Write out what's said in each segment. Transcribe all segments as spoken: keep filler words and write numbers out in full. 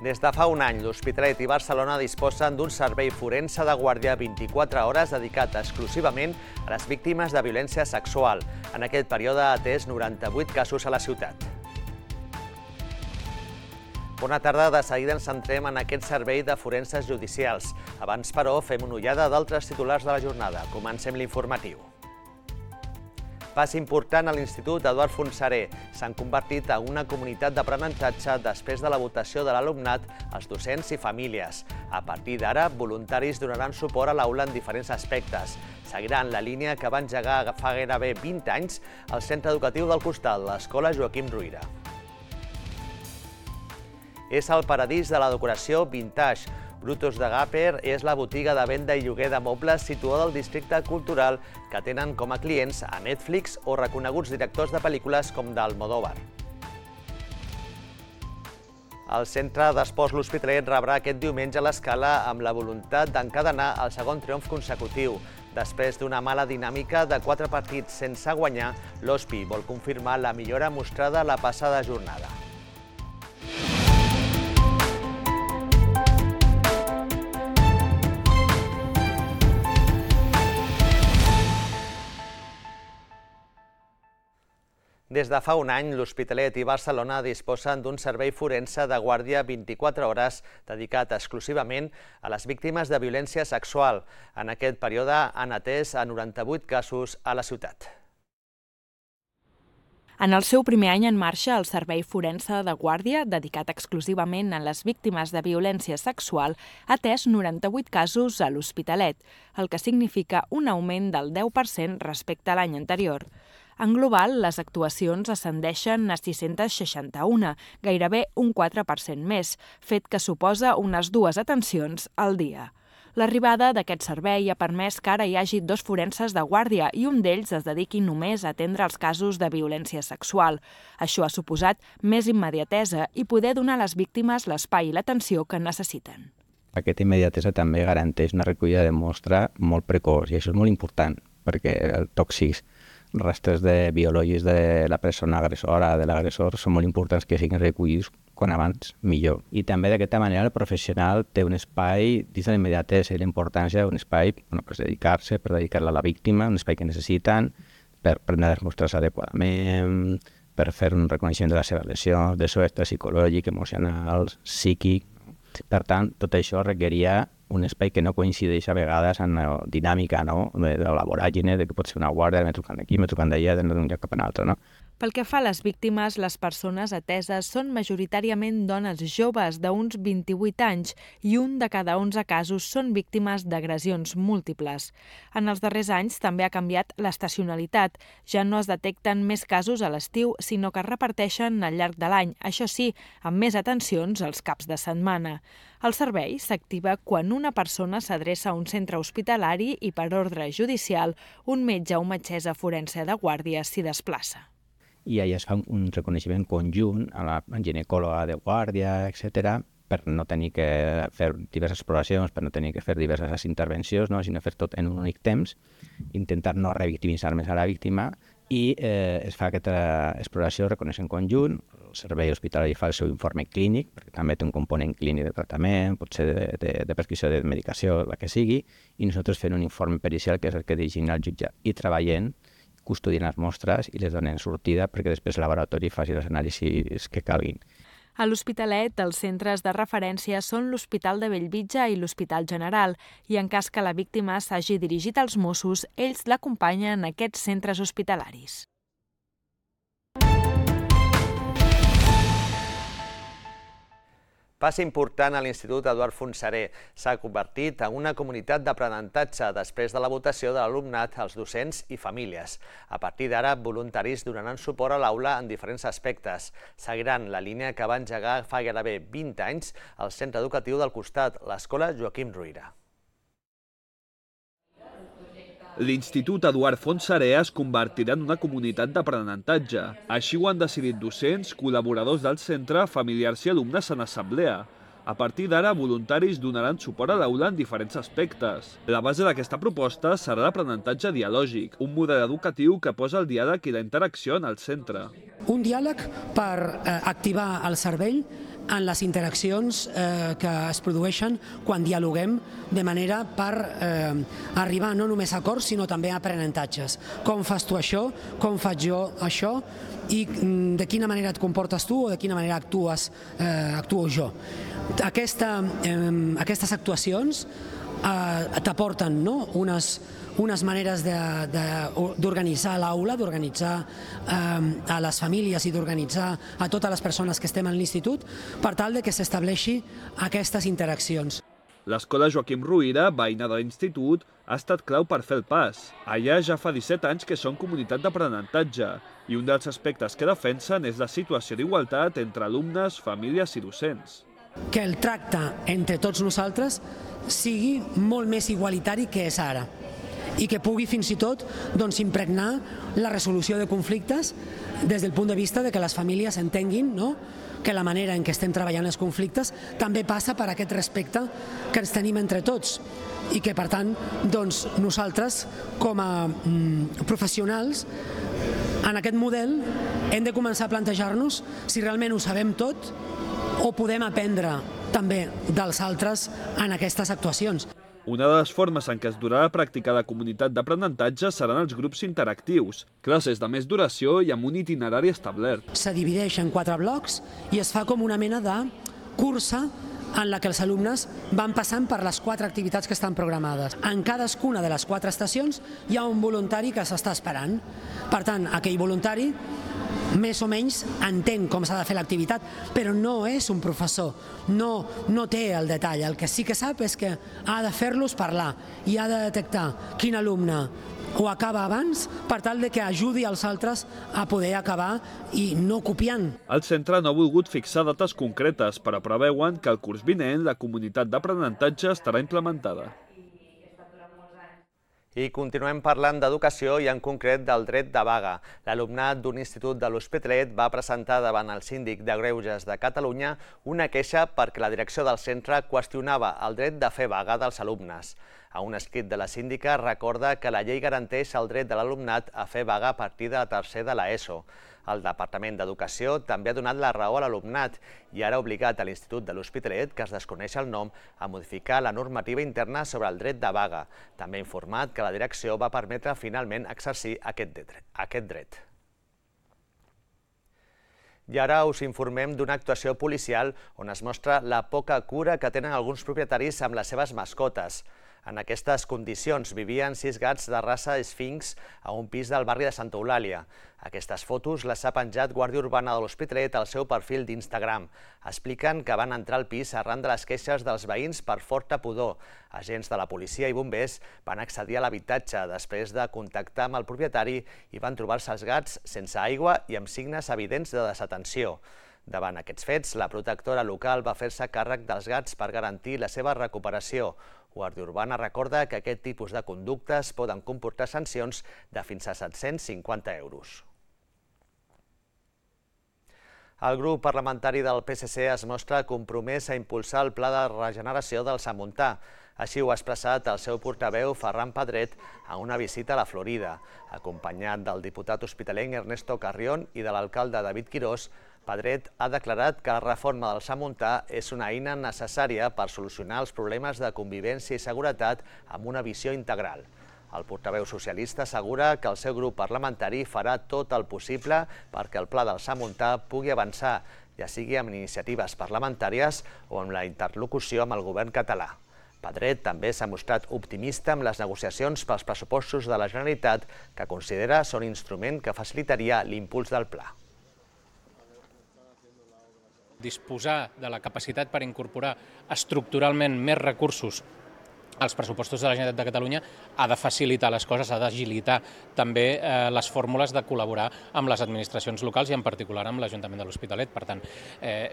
Des de fa un any, l'Hospitalet i Barcelona disposen d'un servei forense de guàrdia vint-i-quatre hores dedicat exclusivament a les víctimes de violència sexual. En aquest període ha atès noranta-vuit casos a la ciutat. Bona tarda, de seguida ens centrem en aquest servei de forenses judicials. Abans, però, fem una ullada d'altres titulars de la jornada. Comencem l'informatiu. Pas important a l'Institut Eduard Fontserè. S'han convertit en una comunitat d'aprenentatge després de la votació de l'alumnat, els docents i famílies. A partir d'ara, voluntaris donaran suport a l'aula en diferents aspectes. Seguiran la línia que va engegar fa gairebé vint anys el centre educatiu del costat, l'Escola Joaquim Ruyra. És el paradís de la decoració vintage. Brutus de Gàper és la botiga de venda i lloguer de mobles situada al districte cultural que tenen com a clients a Netflix o reconeguts directors de pel·lícules com d'Almodóvar. El centre d'esports L'Hospitalet rebrà aquest diumenge l'Escala amb la voluntat d'encadenar el segon triomf consecutiu. Després d'una mala dinàmica de quatre partits sense guanyar, l'Hospi vol confirmar la millora mostrada la passada jornada. Des de fa un any, l'Hospitalet i Barcelona disposen d'un servei forense de guàrdia vint-i-quatre hores dedicat exclusivament a les víctimes de violència sexual. En aquest període han atès a noranta-vuit casos a la ciutat. En el seu primer any en marxa, el Servei Forense de Guàrdia, dedicat exclusivament a les víctimes de violència sexual, ha atès noranta-vuit casos a l'Hospitalet, el que significa un augment del deu per cent respecte a l'any anterior. En global, les actuacions ascendeixen a sis-cents seixanta-un, gairebé un quatre per cent més, fet que suposa unes dues atencions al dia. L'arribada d'aquest servei ha permès que ara hi hagi dos forenses de guàrdia i un d'ells es dediqui només a atendre els casos de violència sexual. Això ha suposat més immediatesa i poder donar a les víctimes l'espai i l'atenció que necessiten. Aquesta immediatesa també garanteix una recollida de mostra molt precoç i això és molt important perquè els tòxics, restes de biològics de la persona agressora, de l'agressor, són molt importants que siguin recollits quan abans millor. I també d'aquesta manera el professional té un espai, dins de l'immediatesa i la importància d'un espai bueno, per dedicar-se, per dedicar-la a la víctima, un espai que necessiten, per prendre les mostres adequadament, per fer un reconeixement de la seva lesió, del seu estat psicològic, emocional, psíquic. Per tant, tot això requeria un espai que no coincideix a vegades en la dinàmica, no? de la voràgine, de que pot ser una guàrdia, m'he trucant d'aquí, m'he trucant d'allà, d'un lloc cap a un altre. No? Pel que fa a les víctimes, les persones ateses són majoritàriament dones joves d'uns vint-i-vuit anys i un de cada onze casos són víctimes d'agressions múltiples. En els darrers anys també ha canviat l'estacionalitat. Ja no es detecten més casos a l'estiu, sinó que es reparteixen al llarg de l'any, això sí, amb més atencions als caps de setmana. El servei s'activa quan una persona s'adreça a un centre hospitalari i, per ordre judicial, un metge o metgessa forense de guàrdia s'hi desplaça. I allà es fa un reconeixement conjunt a la ginecòloga de guàrdia, etcètera, per no tenir que fer diverses exploracions, per no tenir que fer diverses intervencions, no? sinó fer tot en un únic temps, intentar no revictimitzar més a la víctima i eh, es fa aquesta exploració, reconeixement conjunt, el servei hospitalari fa el seu informe clínic, perquè també té un component clínic de tractament, pot ser de, de, de prescripció de medicació, la que sigui, i nosaltres fem un informe pericial que és el que dirigim al jutjat i treballant custodien les mostres i les donen sortida perquè després el laboratori faci els anàlisis que calguin. A l'Hospitalet, els centres de referència són l'Hospital de Bellvitge i l'Hospital General i en cas que la víctima s'hagi dirigit als Mossos, ells l'acompanyen en aquests centres hospitalaris. Pas important a l'Institut Eduard Fontserè. S'ha convertit en una comunitat d'aprenentatge després de la votació de l'alumnat, els docents i famílies. A partir d'ara, voluntaris donaran suport a l'aula en diferents aspectes. Seguiran la línia que va engegar fa gairebé vint anys el centre educatiu del costat, l'Escola Joaquim Ruyra. L'Institut Eduard Fontserè es convertirà en una comunitat d'aprenentatge. Així ho han decidit docents, col·laboradors del centre, familiars i alumnes en assemblea. A partir d'ara, voluntaris donaran suport a l'aula en diferents aspectes. La base d'aquesta proposta serà l'aprenentatge dialògic, un model educatiu que posa el diàleg i la interacció en el centre. Un diàleg per eh, activar el cervell en les interaccions eh, que es produeixen quan dialoguem de manera per eh, arribar no només a acords sinó també a aprenentatges. Com fas tu això, com faig jo això i de quina manera et comportes tu o de quina manera actues, eh, actuo jo. Aquesta, eh, aquestes actuacions eh, t'aporten no? unes unes maneres d'organitzar l'aula, d'organitzar eh, a les famílies i d'organitzar a totes les persones que estem en l'institut per tal de que s'estableixi aquestes interaccions. L'escola Joaquim Ruïra, veïna de l'institut, ha estat clau per fer el pas. Allà ja fa disset anys que són comunitat d'aprenentatge i un dels aspectes que defensen és la situació d'igualtat entre alumnes, famílies i docents. Que el tracte entre tots nosaltres sigui molt més igualitari que és ara i que pugui fins i tot doncs, impregnar la resolució de conflictes des del punt de vista de que les famílies entenguin no? que la manera en què estem treballant els conflictes també passa per aquest respecte que ens tenim entre tots i que per tant doncs, nosaltres com a mm, professionals en aquest model hem de començar a plantejar-nos si realment ho sabem tot o podem aprendre també dels altres en aquestes actuacions. Una de les formes en què es durà a practicar la comunitat d'aprenentatge seran els grups interactius, classes de més duració i amb un itinerari establert. Se divideix en quatre blocs i es fa com una mena de cursa en la que els alumnes van passant per les quatre activitats que estan programades. En cadascuna de les quatre estacions hi ha un voluntari que s'està esperant. Per tant, aquell voluntari més o menys entén com s'ha de fer l'activitat, però no és un professor, no, no té el detall. El que sí que sap és que ha de fer-los parlar i ha de detectar quin alumne ho acaba abans per tal de que ajudi els altres a poder acabar i no copiant. El centre no ha volgut fixar dates concretes, però preveuen que el curs vinent la comunitat d'aprenentatge estarà implementada. I continuem parlant d'educació i en concret del dret de vaga. L'alumnat d'un institut de l'Hospitalet va presentar davant el síndic de Greuges de Catalunya una queixa perquè la direcció del centre qüestionava el dret de fer vaga dels alumnes. A un escrit de la síndica recorda que la llei garanteix el dret de l'alumnat a fer vaga a partir de tercer de l'ESO. El Departament d'Educació també ha donat la raó a l'alumnat i ara ha obligat a l'Institut de l'Hospitalet, que es desconeix el nom, a modificar la normativa interna sobre el dret de vaga. També ha informat que la direcció va permetre finalment exercir aquest dret. I ara us informem d'una actuació policial on es mostra la poca cura que tenen alguns propietaris amb les seves mascotes. En aquestes condicions vivien sis gats de raça esfinx a un pis del barri de Santa Eulàlia. Aquestes fotos les ha penjat Guàrdia Urbana de l'Hospitalet al seu perfil d'Instagram. Expliquen que van entrar al pis arran de les queixes dels veïns per forta pudor. Agents de la policia i bombers van accedir a l'habitatge després de contactar amb el propietari i van trobar-se els gats sense aigua i amb signes evidents de desatenció. Davant aquests fets, la protectora local va fer-se càrrec dels gats per garantir la seva recuperació. Guàrdia Urbana recorda que aquest tipus de conductes poden comportar sancions de fins a set-cents cinquanta euros. El grup parlamentari del P S C es mostra compromès a impulsar el pla de regeneració del Samontà. Així ho ha expressat el seu portaveu Ferran Pedret a una visita a la Florida. Acompanyat del diputat hospitalenc Ernesto Carrión i de l'alcalde David Quirós, Pedret ha declarat que la reforma del Samontà és una eina necessària per solucionar els problemes de convivència i seguretat amb una visió integral. El portaveu socialista assegura que el seu grup parlamentari farà tot el possible perquè el pla del Samontà pugui avançar, ja sigui amb iniciatives parlamentàries o amb la interlocució amb el govern català. Pedret també s'ha mostrat optimista amb les negociacions pels pressupostos de la Generalitat, que considera són instrument que facilitaria l'impuls del pla. Disposar de la capacitat per incorporar estructuralment més recursos als pressupostos de la Generalitat de Catalunya ha de facilitar les coses, ha d'agilitar també eh, les fórmules de col·laborar amb les administracions locals i en particular amb l'Ajuntament de l'Hospitalet. Per tant, eh,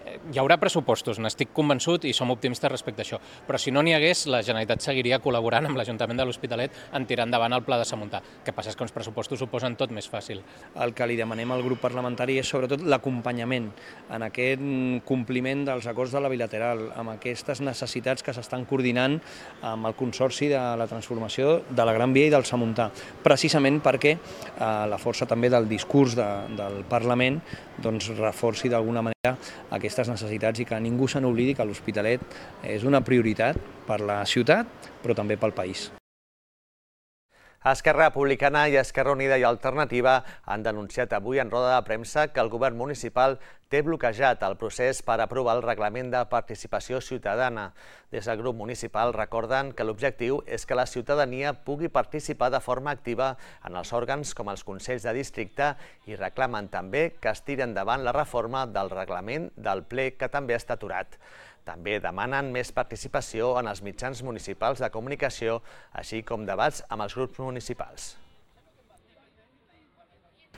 hi haurà pressupostos, n'estic convençut i som optimistes respecte a això, però si no n'hi hagués, la Generalitat seguiria col·laborant amb l'Ajuntament de l'Hospitalet en tirar endavant el pla de Samontà. El que passa és que uns pressupostos ho posen tot més fàcil. El que li demanem al grup parlamentari és sobretot l'acompanyament en aquest compliment dels acords de la bilateral, amb aquestes necessitats que s'estan coordinant amb el Consorci de la Transformació de la Gran Via i del Samontà, precisament perquè eh, la força també del discurs de, del Parlament doncs, reforci d'alguna manera aquesta aquestes necessitats i que ningú se n'oblidi que l'Hospitalet és una prioritat per la ciutat, però també pel país. Esquerra Republicana i Esquerra Unida i Alternativa han denunciat avui en roda de premsa que el govern municipal té bloquejat el procés per aprovar el reglament de participació ciutadana. Des del grup municipal recorden que l'objectiu és que la ciutadania pugui participar de forma activa en els òrgans com els consells de districte i reclamen també que es tiri endavant la reforma del reglament del ple que també està aturat. També demanen més participació en els mitjans municipals de comunicació, així com debats amb els grups municipals.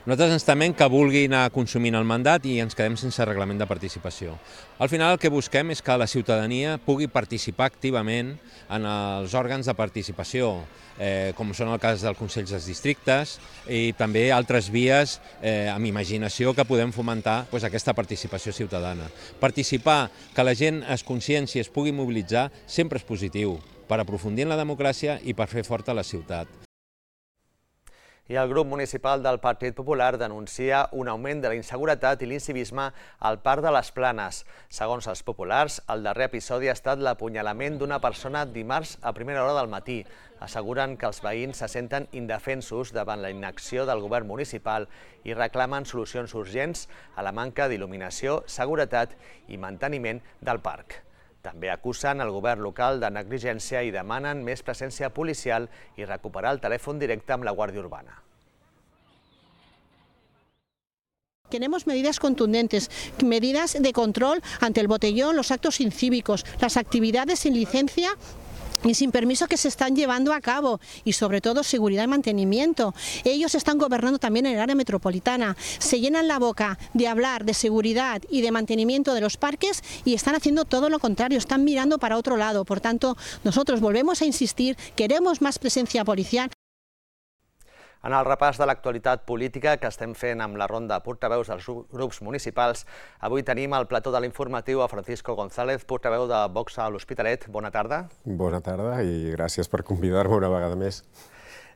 Nosaltres ens temem que vulgui anar consumint el mandat i ens quedem sense reglament de participació. Al final el que busquem és que la ciutadania pugui participar activament en els òrgans de participació, eh, com són el cas dels consells dels districtes i també altres vies eh, amb imaginació que podem fomentar doncs, aquesta participació ciutadana. Participar, que la gent es conscienci, es pugui mobilitzar, sempre és positiu per aprofundir en la democràcia i per fer forta la ciutat. I el grup municipal del Partit Popular denuncia un augment de la inseguretat i l'incivisme al Parc de les Planes. Segons els populars, el darrer episodi ha estat l'apunyalament d'una persona dimarts a primera hora del matí. Asseguren que els veïns se senten indefensos davant la inacció del govern municipal i reclamen solucions urgents a la manca d'il·luminació, seguretat i manteniment del parc. També acusen el govern local de negligència i demanen més presència policial i recuperar el telèfon directe amb la Guàrdia Urbana. Queremos medidas contundentes, medidas de control ante el botellón, los actos incívicos, las actividades sin licencia y sin permiso que se están llevando a cabo y sobre todo seguridad y mantenimiento. Ellos están gobernando también en el área metropolitana, se llenan la boca de hablar de seguridad y de mantenimiento de los parques y están haciendo todo lo contrario, están mirando para otro lado. Por tanto, nosotros volvemos a insistir, queremos más presencia policial. En el repàs de l'actualitat política que estem fent amb la ronda de portaveus dels grups municipals, avui tenim al plató de l'informatiu a Francisco González, portaveu de Vox a l'Hospitalet. Bona tarda. Bona tarda i gràcies per convidar-me una vegada més.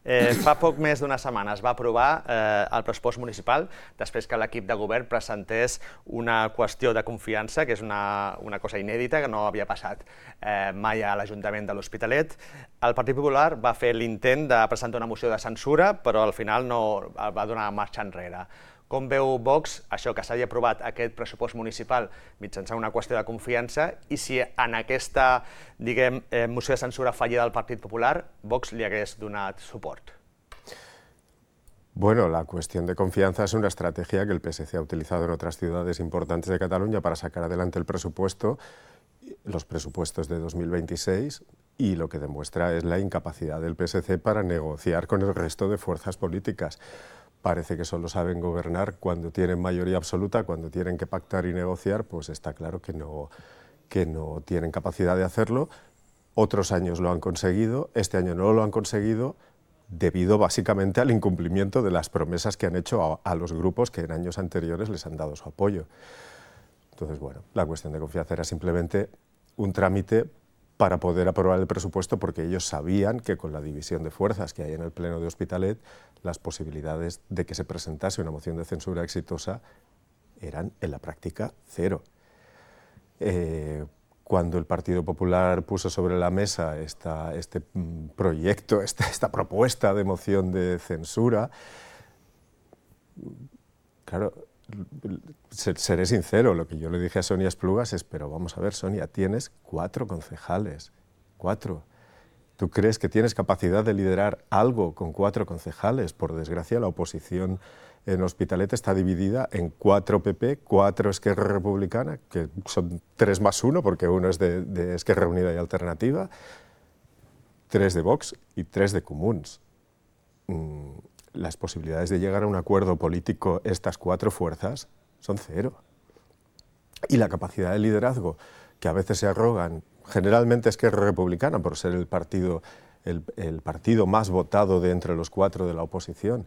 Eh, fa poc més d'una setmana es va aprovar eh, el pressupost municipal després que l'equip de govern presentés una qüestió de confiança, que és una, una cosa inèdita que no havia passat eh, mai a l'Ajuntament de l'Hospitalet. El Partit Popular va fer l'intent de presentar una moció de censura, però al final no va donar marxa enrere. Com veu Vox això que s'hagi aprovat aquest pressupost municipal mitjançant una qüestió de confiança i si en aquesta, diguem, eh, moció de censura fallida del Partit Popular, Vox li hagués donat suport? Bueno, la cuestión de confianza es una estrategia que el P S C ha utilizado en otras ciudades importantes de Cataluña para sacar adelante el presupuesto, los presupuestos de dos mil veintiséis, y lo que demuestra es la incapacidad del P S C para negociar con el resto de fuerzas políticas. Parece que solo saben gobernar cuando tienen mayoría absoluta, cuando tienen que pactar y negociar, pues está claro que no, que no tienen capacidad de hacerlo. Otros años lo han conseguido, este año no lo han conseguido, debido básicamente al incumplimiento de las promesas que han hecho a, a los grupos que en años anteriores les han dado su apoyo. Entonces, bueno, la cuestión de confianza era simplemente un trámite para poder aprobar el presupuesto, porque ellos sabían que con la división de fuerzas que hay en el Pleno de Hospitalet, las posibilidades de que se presentase una moción de censura exitosa eran en la práctica cero. Eh, cuando el Partido Popular puso sobre la mesa esta, este proyecto, esta, esta propuesta de moción de censura, claro, seré sincero, lo que yo le dije a Sonia Esplugas es, pero vamos a ver, Sonia, tienes cuatro concejales, cuatro. ¿Tú crees que tienes capacidad de liderar algo con cuatro concejales? Por desgracia, la oposición en Hospitalet está dividida en cuatro P P, cuatro Esquerra Republicana, que son tres más uno, porque uno es de, de Esquerra Unida y Alternativa, tres de Vox y tres de Comuns. Mm. Las posibilidades de llegar a un acuerdo político, estas cuatro fuerzas, son cero. Y la capacidad de liderazgo que a veces se arrogan, generalmente Esquerra Republicana, por ser el partido, el, el partido más votado de entre los cuatro de la oposición,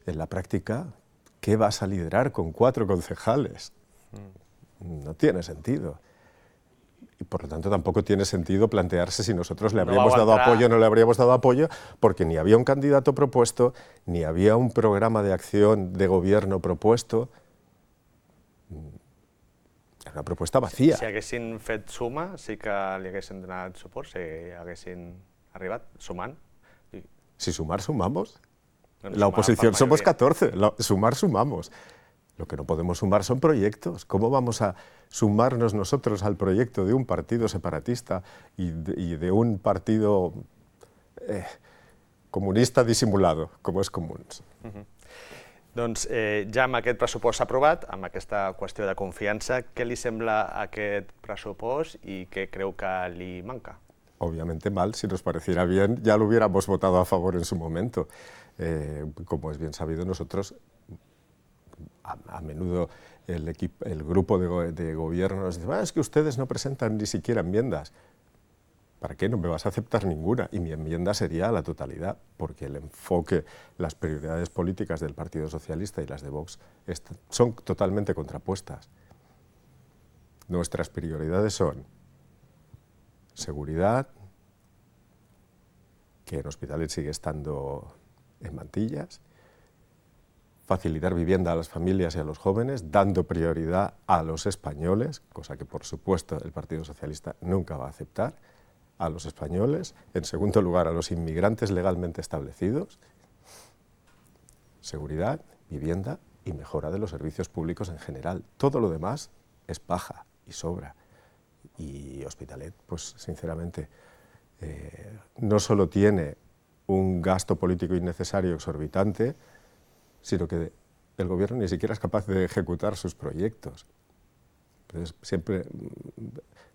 en la práctica, ¿qué vas a liderar con cuatro concejales? No tiene sentido. Y por lo tanto tampoco tiene sentido plantearse si nosotros le habríamos dado apoyo o no le habríamos dado apoyo, porque ni había un candidato propuesto, ni había un programa de acción de gobierno propuesto. Era una propuesta vacía. Si haguessin fet suma, sí que li haguessin donat suport, si haguessin arribat sumant. Si sumar, sumamos. La oposición somos catorce, sumar, sumamos. Lo que no podemos sumar son proyectos. ¿Cómo vamos a sumarnos nosotros al proyecto de un partido separatista y de, y de un partido eh, comunista disimulado, com és Comuns? Uh-huh. Doncs eh, ja amb aquest pressupost aprovat, amb aquesta qüestió de confiança, què li sembla aquest pressupost i què creu que li manca? Obviamente mal, si nos pareciera bien ya lo hubiéramos votado a favor en su momento. Eh, como es bien sabido, nosotros a, a menudo el, equipo, el grupo de, go de gobierno nos dice, ah, es que ustedes no presentan ni siquiera enmiendas. ¿Para qué? No me vas a aceptar ninguna. Y mi enmienda sería a la totalidad, porque el enfoque, las prioridades políticas del Partido Socialista y las de Vox son totalmente contrapuestas. Nuestras prioridades son seguridad, que en Hospitalet sigue estando en mantillas, facilitar vivienda a las familias y a los jóvenes, dando prioridad a los españoles, cosa que por supuesto el Partido Socialista nunca va a aceptar, a los españoles, en segundo lugar a los inmigrantes legalmente establecidos, seguridad, vivienda y mejora de los servicios públicos en general. Todo lo demás es paja y sobra. Y Hospitalet, pues sinceramente, eh, no solo tiene un gasto político innecesario exorbitante, sino que el gobierno ni siquiera es capaz de ejecutar sus proyectos. Entonces, siempre,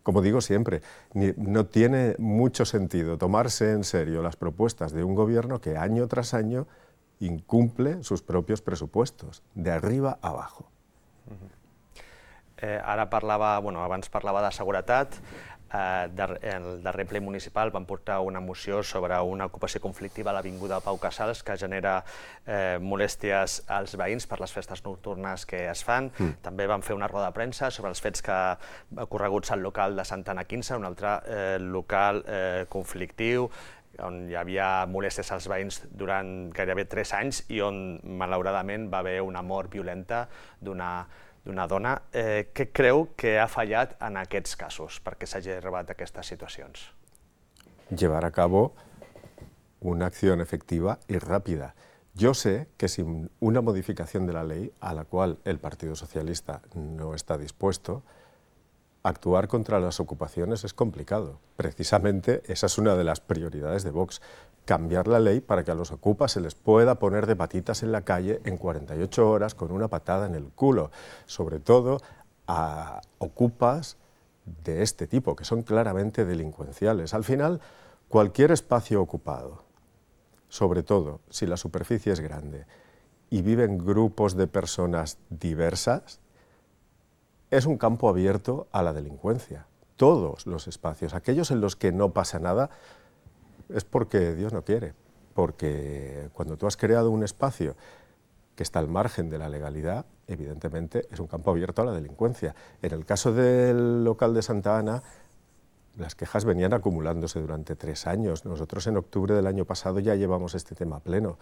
como digo siempre, ni, no tiene mucho sentido tomarse en serio las propuestas de un gobierno que año tras año incumple sus propios presupuestos, de arriba a abajo. Uh-huh. Eh, ara parlava, bueno, abans parlava de seguretat. Eh, der, el darrer ple municipal van portar una moció sobre una ocupació conflictiva a l'avinguda Pau Casals que genera eh, molèsties als veïns per les festes nocturnes que es fan. Mm. També van fer una roda de premsa sobre els fets que ocorreguts al local de Santa Anna quinze, un altre eh, local eh, conflictiu, on hi havia molèsties als veïns durant gairebé tres anys i on, malauradament, va haver una mort violenta d'una d'una dona. Eh, què creu que ha fallat en aquests casos perquè s'hagi arribat a aquestes situacions? Llevar a cabo una acción efectiva y rápida. Yo sé que sin una modificación de la ley, a la cual el Partido Socialista no está dispuesto, actuar contra las ocupaciones es complicado. Precisamente esa es una de las prioridades de Vox, cambiar la ley para que a los ocupas se les pueda poner de patitas en la calle en cuarenta y ocho horas con una patada en el culo, sobre todo a ocupas de este tipo, que son claramente delincuenciales. Al final, cualquier espacio ocupado, sobre todo si la superficie es grande y viven grupos de personas diversas, es un campo abierto a la delincuencia. Todos los espacios, aquellos en los que no pasa nada, es porque Dios no quiere, porque cuando tú has creado un espacio que está al margen de la legalidad, evidentemente es un campo abierto a la delincuencia. En el caso del local de Santa Ana, las quejas venían acumulándose durante tres años. Nosotros en octubre del año pasado ya llevamos este tema a pleno.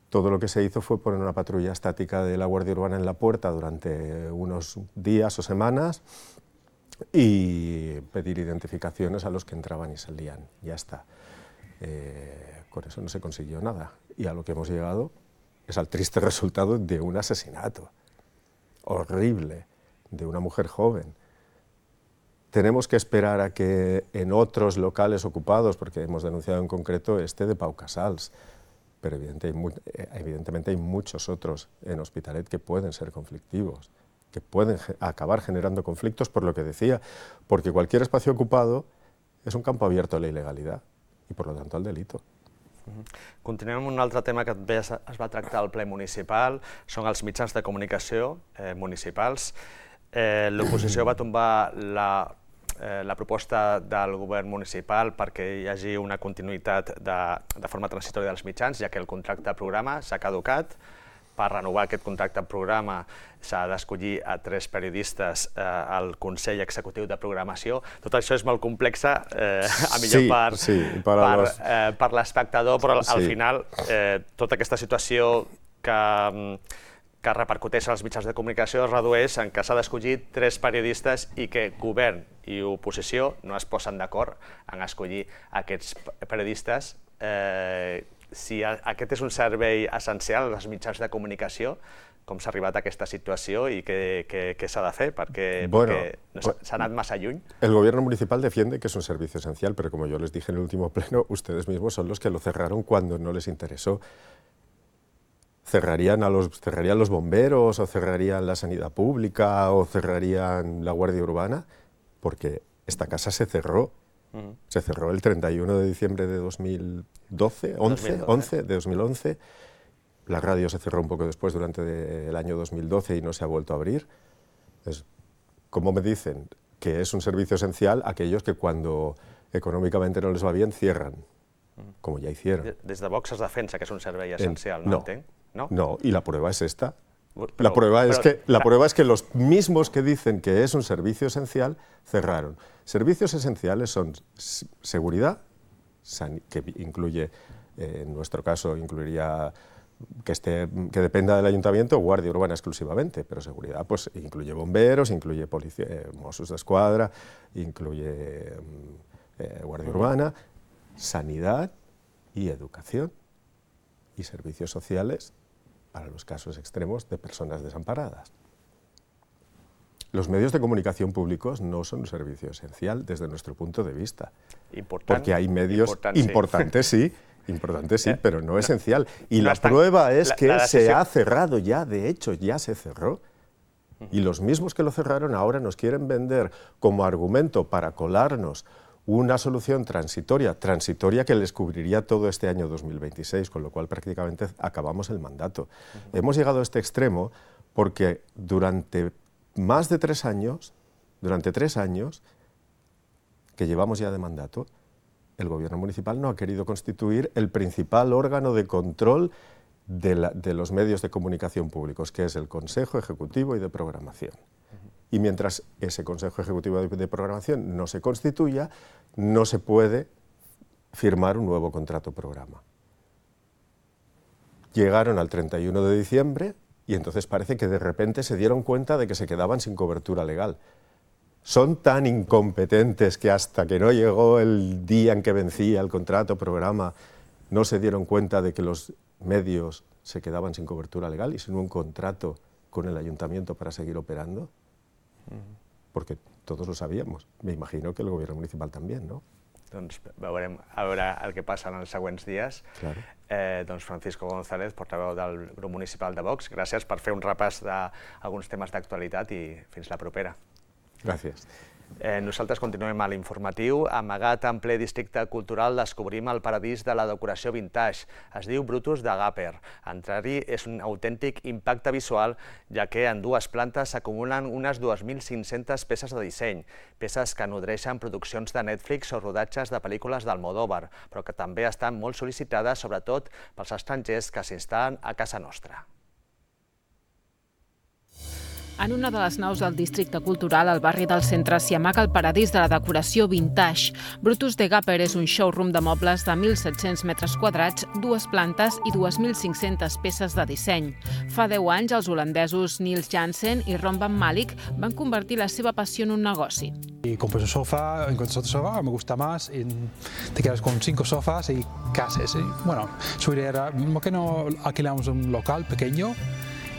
Todo lo que se hizo fue poner una patrulla estática de la Guardia Urbana en la puerta durante unos días o semanas y pedir identificaciones a los que entraban y salían. Ya está. Eh, con eso no se consiguió nada. Y a lo que hemos llegado es al triste resultado de un asesinato horrible de una mujer joven. Tenemos que esperar a que en otros locales ocupados, porque hemos denunciado en concreto este de Pau Casals, pero evidentemente hay muchos otros en Hospitalet que pueden ser conflictivos, que pueden acabar generando conflictos, por lo que decía, porque cualquier espacio ocupado es un campo abierto a la ilegalidad i, per tant, al delito. Continuem amb un altre tema que també es va tractar al ple municipal, són els mitjans de comunicació eh, municipals. Eh, L'oposició va tombar la, eh, la proposta del govern municipal perquè hi hagi una continuïtat de, de forma transitòria dels mitjans, ja que el contracte programa s'ha caducat. Per renovar aquest contracte programa s'ha d'escollir a tres periodistes eh, al Consell Executiu de Programació. Tot això és molt complex, eh, a millor sí, per, sí, per, per, los... eh, per l'espectador, però al sí. final eh, tota aquesta situació que, que repercuteix als mitjans de comunicació es redueix en que s'ha d'escollir tres periodistes i que govern i oposició no es posen d'acord en escollir aquests periodistes. Si aquest és un servei essencial als mitjans de comunicació, com s'ha arribat a aquesta situació y qué, qué, qué se ha de hacer, porque, bueno, porque se ha anat massa lluny. El gobierno municipal defiende que es un servicio esencial, pero como yo les dije en el último pleno, ustedes mismos son los que lo cerraron cuando no les interesó. ¿Cerrarían, a los, cerrarían los bomberos, o cerrarían la sanidad pública, o cerrarían la Guardia Urbana? Porque esta casa se cerró. Uh-huh. Se cerró el treinta y uno de diciembre de dos mil doce, once, once, de dos mil once. La radio se cerró un poco después, durante el año dos mil doce, y no se ha vuelto a abrir. Es, ¿cómo me dicen que es un servicio esencial aquellos que cuando econòmicamente no les va bien cierran? Como ya hicieron. Des de Vox es defensa que és un servei essencial, no, no entenc? No, no, y la prueba es esta. Pero, la prueba, pero, es que, la prueba es que los mismos que dicen que es un servicio esencial cerraron. Servicios esenciales son seguridad, que incluye, eh, en nuestro caso, incluiría que, esté, que dependa del ayuntamiento, Guardia Urbana exclusivamente, pero seguridad pues incluye bomberos, incluye policía, eh, Mossos d'Esquadra, incluye eh, Guardia Urbana, sanidad y educación y servicios sociales para los casos extremos de personas desamparadas. Los medios de comunicación públicos no son un servicio esencial desde nuestro punto de vista, Important, porque hay medios important, sí. importantes, sí, importante sí, eh, pero no, no esencial. Y no la está, prueba es la, que la se ha cerrado ya, de hecho ya se cerró. Uh-huh. Y los mismos que lo cerraron ahora nos quieren vender como argumento para colarnos una solución transitoria, transitoria que les cubriría todo este año dos mil veintiséis, con lo cual prácticamente acabamos el mandato. Uh-huh. Hemos llegado a este extremo porque durante más de tres años, durante tres años que llevamos ya de mandato, el gobierno municipal no ha querido constituir el principal órgano de control de, la, de los medios de comunicación públicos, que es el Consejo Ejecutivo y de Programación. Uh-huh. Y mientras ese Consejo Ejecutivo de, de Programación no se constituya, no se puede firmar un nuevo contrato programa. Llegaron al treinta y uno de diciembre y entonces parece que de repente se dieron cuenta de que se quedaban sin cobertura legal. Son tan incompetentes que hasta que no llegó el día en que vencía el contrato programa, no se dieron cuenta de que los medios se quedaban sin cobertura legal y sin un contrato con el ayuntamiento para seguir operando. Porque todos lo sabíamos. Me imagino que el gobierno municipal también, ¿no? Doncs veurem a veure el que passa en els següents dies. Claro. Eh, doncs Francisco González, portaveu del grup municipal de Vox, gràcies per fer un repàs d'alguns temes d'actualitat i fins la propera. Gràcies. Eh, nosaltres continuem a l'informatiu. Amagat en ple districte cultural descobrim el paradís de la decoració vintage. Es diu Brutus de Gapper. Entrar-hi és un autèntic impacte visual, ja que en dues plantes s'acumulen unes dos mil cinc-centes peces de disseny, peces que nodreixen produccions de Netflix o rodatges de pel·lícules d'Almodóvar, però que també estan molt sol·licitades, sobretot pels estrangers que s'instal·len a casa nostra. En una de les naus del districte cultural, al barri del centre, s'hi amaga el paradís de la decoració vintage. Brutus de Gapper és un showroom de mobles de mil set-cents metres quadrats, dues plantes i dos mil cinc-centes peces de disseny. Fa deu anys, els holandesos Niels Jansen i Ron van Malik van convertir la seva passió en un negoci. Y compras un sofá, encuentras otro sofá, me gusta más, y te quedas con cinco sofás y casas. Y bueno, su idea era, ¿por qué no alquilamos un local pequeño?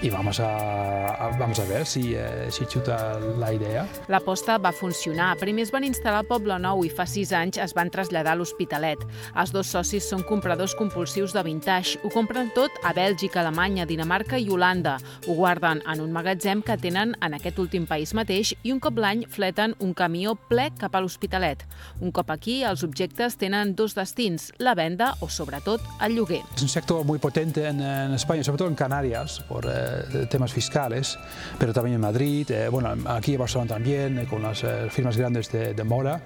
I vamos a, a, vamos a ver si, eh, si xuta la idea. L'aposta va funcionar. Primer es van instal·lar al Poble Nou i fa sis anys es van traslladar a l'Hospitalet. Els dos socis són compradors compulsius de vintage. Ho compren tot a Bèlgica, Alemanya, Dinamarca i Holanda. Ho guarden en un magatzem que tenen en aquest últim país mateix i un cop l'any fleten un camió ple cap a l'Hospitalet. Un cop aquí, els objectes tenen dos destins, la venda o, sobretot, el lloguer. Es un sector muy potente en, en España, sobre todo en Canarias, por eh, temas fiscales, pero también en Madrid, eh, bueno, aquí en Barcelona también, eh, con las eh, firmas grandes de, de moda,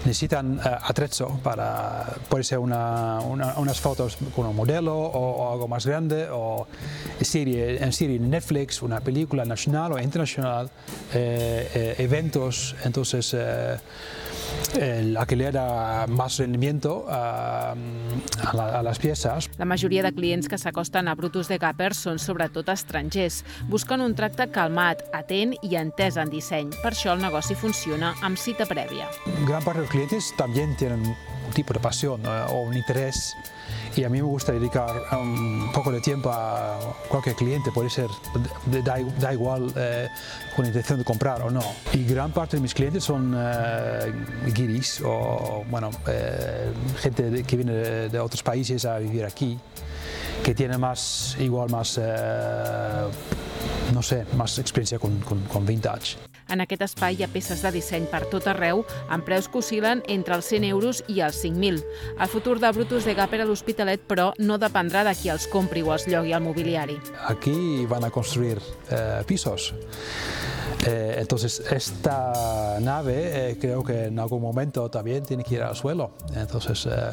necesitan eh, atrezo para, puede ser una, una, unas fotos con un modelo o, o algo más grande, o serie, en serie Netflix, una película nacional o internacional, eh, eh, eventos, entonces eh, el alquiler a más rendimiento a, a, la, a les piezas. La majoria de clients que s'acosten a Brutus de Gapper són sobretot estrangers. Busquen un tracte calmat, atent i entès en disseny. Per això el negoci funciona amb cita prèvia. Gran part dels clientes también tienen un tipo de pasión eh, o un interés, y a mí me gusta dedicar un poco de tiempo a cualquier cliente, puede ser, da, da igual eh, con intención de comprar o no. Y gran parte de mis clientes son eh, guiris o bueno, eh, gente de, que viene de, de otros países a vivir aquí, que tiene más, igual más, eh, no sé, más experiencia con, con, con vintage. En aquest espai hi ha peces de disseny per tot arreu, amb preus que oscil·len entre els cent euros i els cinc mil. El futur de Brutus de Gapper a l'Hospitalet, però, no dependrà de qui els compri o els llogui al mobiliari. Aquí van a construir eh, pisos. Eh, entonces, esta nave eh, creo que en algún momento también tiene que ir al suelo. Entonces, eh,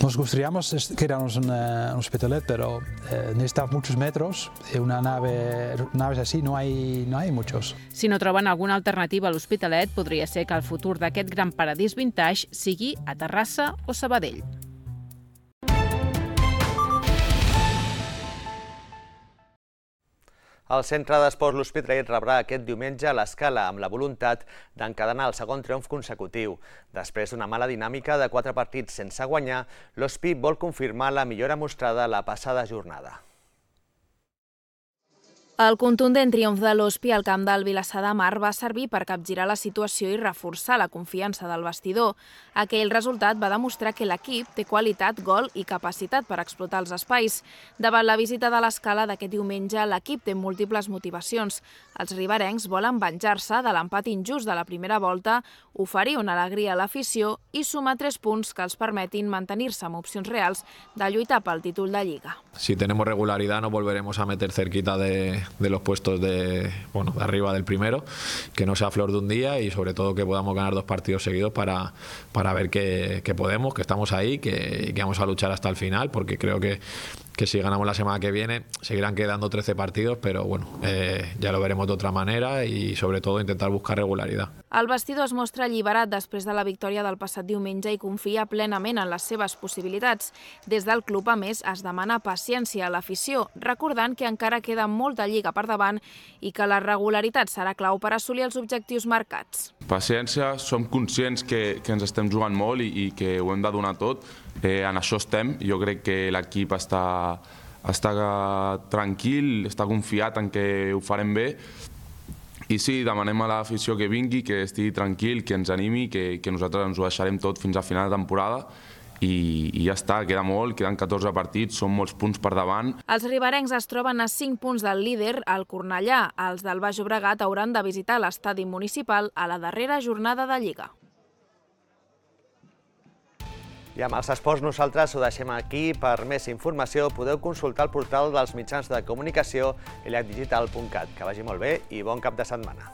nos gustaríamos quedarnos en un Hospitalet, pero eh, necesita muchos metros. Y una nave, naves así no hay, no hay muchos. Si no troben alguna alternativa a l'Hospitalet, podria ser que el futur d'aquest gran paradís vintage sigui a Terrassa o Sabadell. El Centre d'Esports L'Hospitalet rebrà aquest diumenge l'Escala amb la voluntat d'encadenar el segon triomf consecutiu. Després d'una mala dinàmica de quatre partits sense guanyar, l'Hospi vol confirmar la millora mostrada la passada jornada. El contundent triomf de l'Hospi al camp del Vilassar de Mar va servir per capgirar la situació i reforçar la confiança del vestidor. Aquell resultat va demostrar que l'equip té qualitat, gol i capacitat per explotar els espais. Davant la visita de l'Escala d'aquest diumenge, l'equip té múltiples motivacions. Els riberencs volen venjar-se de l'empat injust de la primera volta, oferir una alegria a l'afició i sumar tres punts que els permetin mantenir-se amb opcions reals de lluitar pel títol de Lliga. Si tenemos regularidad nos volveremos a meter cerquita de, de los puestos de, bueno, de arriba del primero, que no sea flor de un día y sobre todo que podamos ganar dos partidos seguidos para, para ver que, que podemos, que estamos ahí, que, que vamos a luchar hasta el final, porque creo que que si ganamos la semana que viene seguirán quedando trece partidos, pero bueno, eh, ya lo veremos de otra manera y sobre todo intentar buscar regularidad. El vestidor es mostra alliberat després de la victòria del passat diumenge i confia plenament en les seves possibilitats. Des del club, a més, es demana paciència a l'afició, recordant que encara queda molta lliga per davant i que la regularitat serà clau per assolir els objectius marcats. Paciència, som conscients que, que ens estem jugant molt i, i que ho hem de donar tot. Eh, en això estem. Jo crec que l'equip està, està tranquil, està confiat en que ho farem bé. I sí, demanem a l'afició que vingui, que estigui tranquil, que ens animi, que, que nosaltres ens ho deixarem tot fins a final de temporada. I, i ja està, queda molt, queden catorze partits, són molts punts per davant. Els riberencs es troben a cinc punts del líder, el Cornellà. Els del Baix Llobregat hauran de visitar l'estadi municipal a la darrera jornada de Lliga. I amb els esports nosaltres ho deixem aquí. Per més informació podeu consultar el portal dels mitjans de comunicació i llac digital punt cat. Que vagi molt bé i bon cap de setmana.